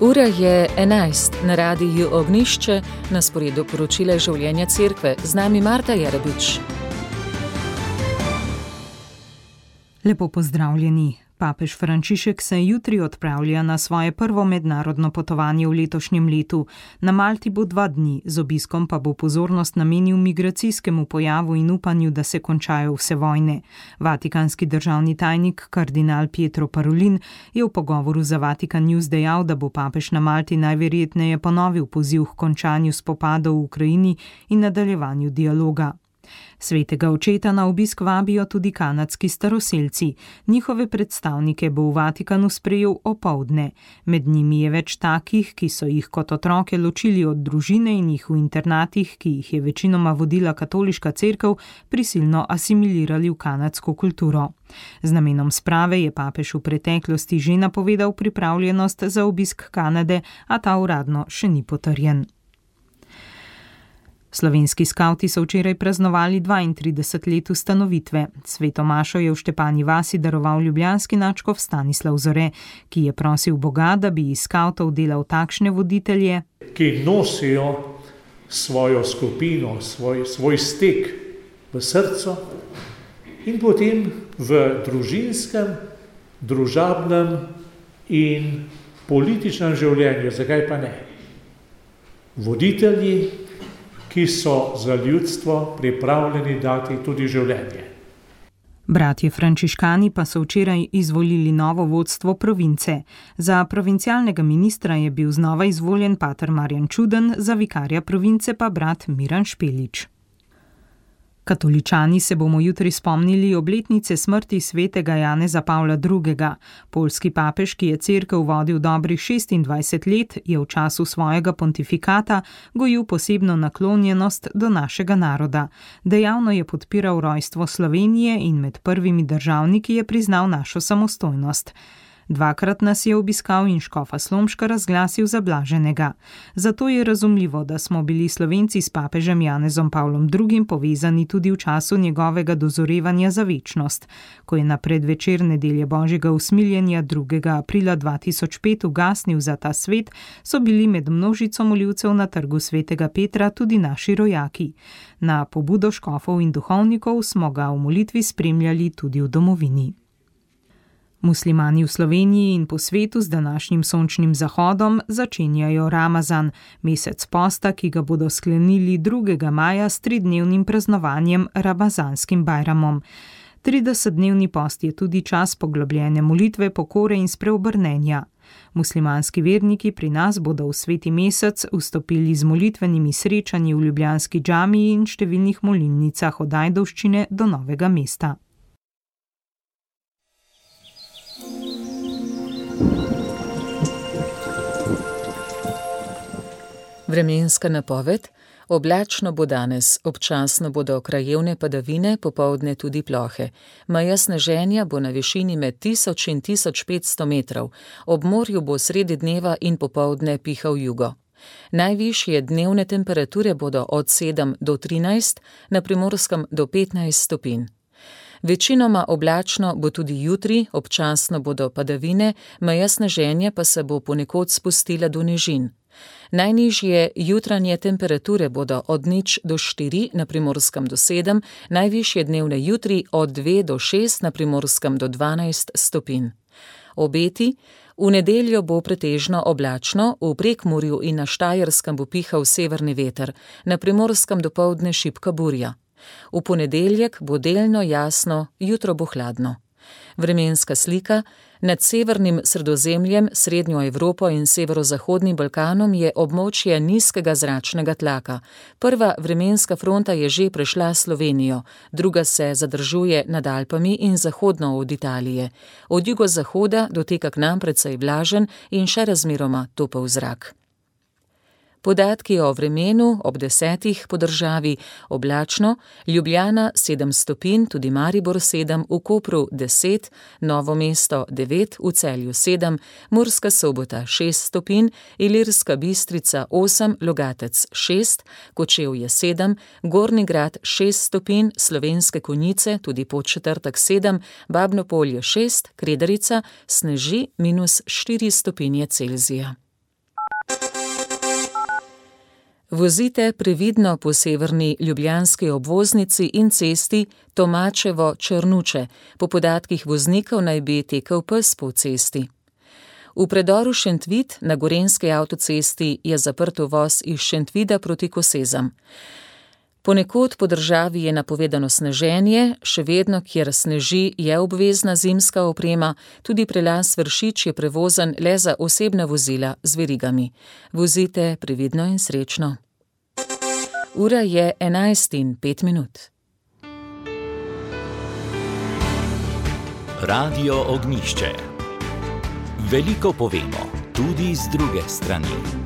Ura je 11, na radiju Ognjišče, na sporedu poročila življenja cerkve. Z nami Marta Jarabič. Lepo pozdravljeni. Papež Frančišek se jutri odpravlja na svoje prvo mednarodno potovanje v letošnjem letu. Na Malti bo 2 dni, z obiskom pa bo pozornost namenil migracijskemu pojavu in upanju, da se končajo vse vojne. Vatikanski državni tajnik kardinal Pietro Parolin je v pogovoru za Vatikan News dejal, da bo papež na Malti najverjetneje ponovil poziv k končanju spopadov v Ukrajini in nadaljevanju dialoga. Svetega očeta na obisk vabijo tudi kanadski staroselci. Njihove predstavnike bo v Vatikanu sprejel opoldne. Med njimi je več takih, ki so jih kot otroke ločili od družine in jih v internatih, ki jih je večinoma vodila katoliška cerkev, prisilno asimilirali v kanadsko kulturo. Z namenom sprave je papež v preteklosti že napovedal pripravljenost za obisk Kanade, a ta uradno še ni potrjen. Slovenski skavti so včeraj praznovali 32 let ustanovitve. Sveto mašo je v Štepanji vasi daroval ljubljanski nadškof Stanislav Zore, ki je prosil Boga, da bi iz skavtov delal takšne voditelje, ki nosijo svojo skupino, svoj stek v srcu in potem v družinskem, družabnem in političnem življenju, zakaj pa ne. Voditelji, ki so za ljudstvo pripravljeni dati tudi življenje. Bratje frančiškani pa so včeraj izvolili novo vodstvo province. Za provincialnega ministra je bil znova izvoljen pater Marjan Čuden, za vikarja province pa brat Miran Špelič. Katoličani se bomo jutri spomnili obletnice smrti svetega Janeza Pavla II. Poljski papež, ki je cerkev vodil dobrih 26 let, je v času svojega pontifikata gojil posebno naklonjenost do našega naroda. Dejavno je podpiral rojstvo Slovenije in med prvimi državniki je priznal našo samostojnost. 2-krat nas je obiskal in škofa Slomška razglasil za blaženega. Zato je razumljivo, da smo bili Slovenci s papežem Janezom Pavlom II. Povezani tudi v času njegovega dozorevanja za večnost. Ko je na predvečer nedelje Božjega usmiljenja 2. aprila 2005 ugasnil za ta svet, so bili med množico moljivcev na trgu svetega Petra tudi naši rojaki. Na pobudo škofov in duhovnikov smo ga v molitvi spremljali tudi v domovini. Muslimani v Sloveniji in po svetu z današnjim sončnim zahodom začenjajo Ramazan, mesec posta, ki ga bodo sklenili 2. maja s 3-dnevnim praznovanjem Ramazanskim bajramom. 30-dnevni post je tudi čas poglobljene molitve, pokore in spreobrnenja. Muslimanski verniki pri nas bodo v sveti mesec vstopili z molitvenimi srečanji v ljubljanski džamiji in številnih molilnicah od Ajdovščine do Novega mesta. Vremenska napoved. Oblačno bo danes, občasno bodo krajevne padavine, popoldne tudi plohe. Meja sneženja bo na višini med 1000 in 1500 metrov. Ob morju bo sredi dneva in popoldne pihal jugo. Najvišje dnevne temperature bodo od 7 do 13, na Primorskem do 15 stopinj. Večinoma oblačno bo tudi jutri, občasno bodo padavine, meja sneženja pa se bo ponekod spustila do nižin. Najnižje jutranje temperature bodo od 0 do 4, na Primorskem do 7, najvišje dnevne jutri od 2 do 6, na Primorskem do 12 stopinj. Obeti. V nedeljo bo pretežno oblačno, v Prekmurju in na Štajerskem bo pihal severni veter, na Primorskem dopoldne šibka burja. V ponedeljek bo delno jasno, jutro bo hladno. Vremenska slika. Nad severnim Sredozemljem, srednjo Evropo in severozahodnim Balkanom je območje nizkega zračnega tlaka. Prva vremenska fronta je že prešla Slovenijo, druga se zadržuje nad Alpami in zahodno od Italije. Od jugozahoda doteka k nam precej vlažen in še razmeroma topel zrak. Podatki o vremenu ob 10 po državi: oblačno, Ljubljana 7 stopinj, tudi Maribor 7, v Kopru 10, Novo mesto 9, v Celju 7, Murska Sobota 6 stopinj, Ilirska Bistrica 8, Logatec 6, Kočevje 7, Gornji Grad 6 stopinj, Slovenske Konjice tudi Podčetrtek 7, Babno Polje 6, Kredarica sneži -4 stopinje Celzija. Vozite previdno po severni ljubljanski obvoznici in cesti Tomačevo-Črnuče. Po podatkih voznikov naj bi tekel pes po cesti. V predoru Šentvid na gorenjski avtocesti je zaprt uvoz iz Šentvida proti Kosezam. Ponekod po državi je napovedano sneženje, še vedno, kjer sneži, je obvezna zimska oprema, tudi prelaz Vršič je prevozen le za osebna vozila z verigami. Vozite previdno in srečno. Ura je 11:05. Radio Ognjišče. Veliko povemo, tudi z druge strani.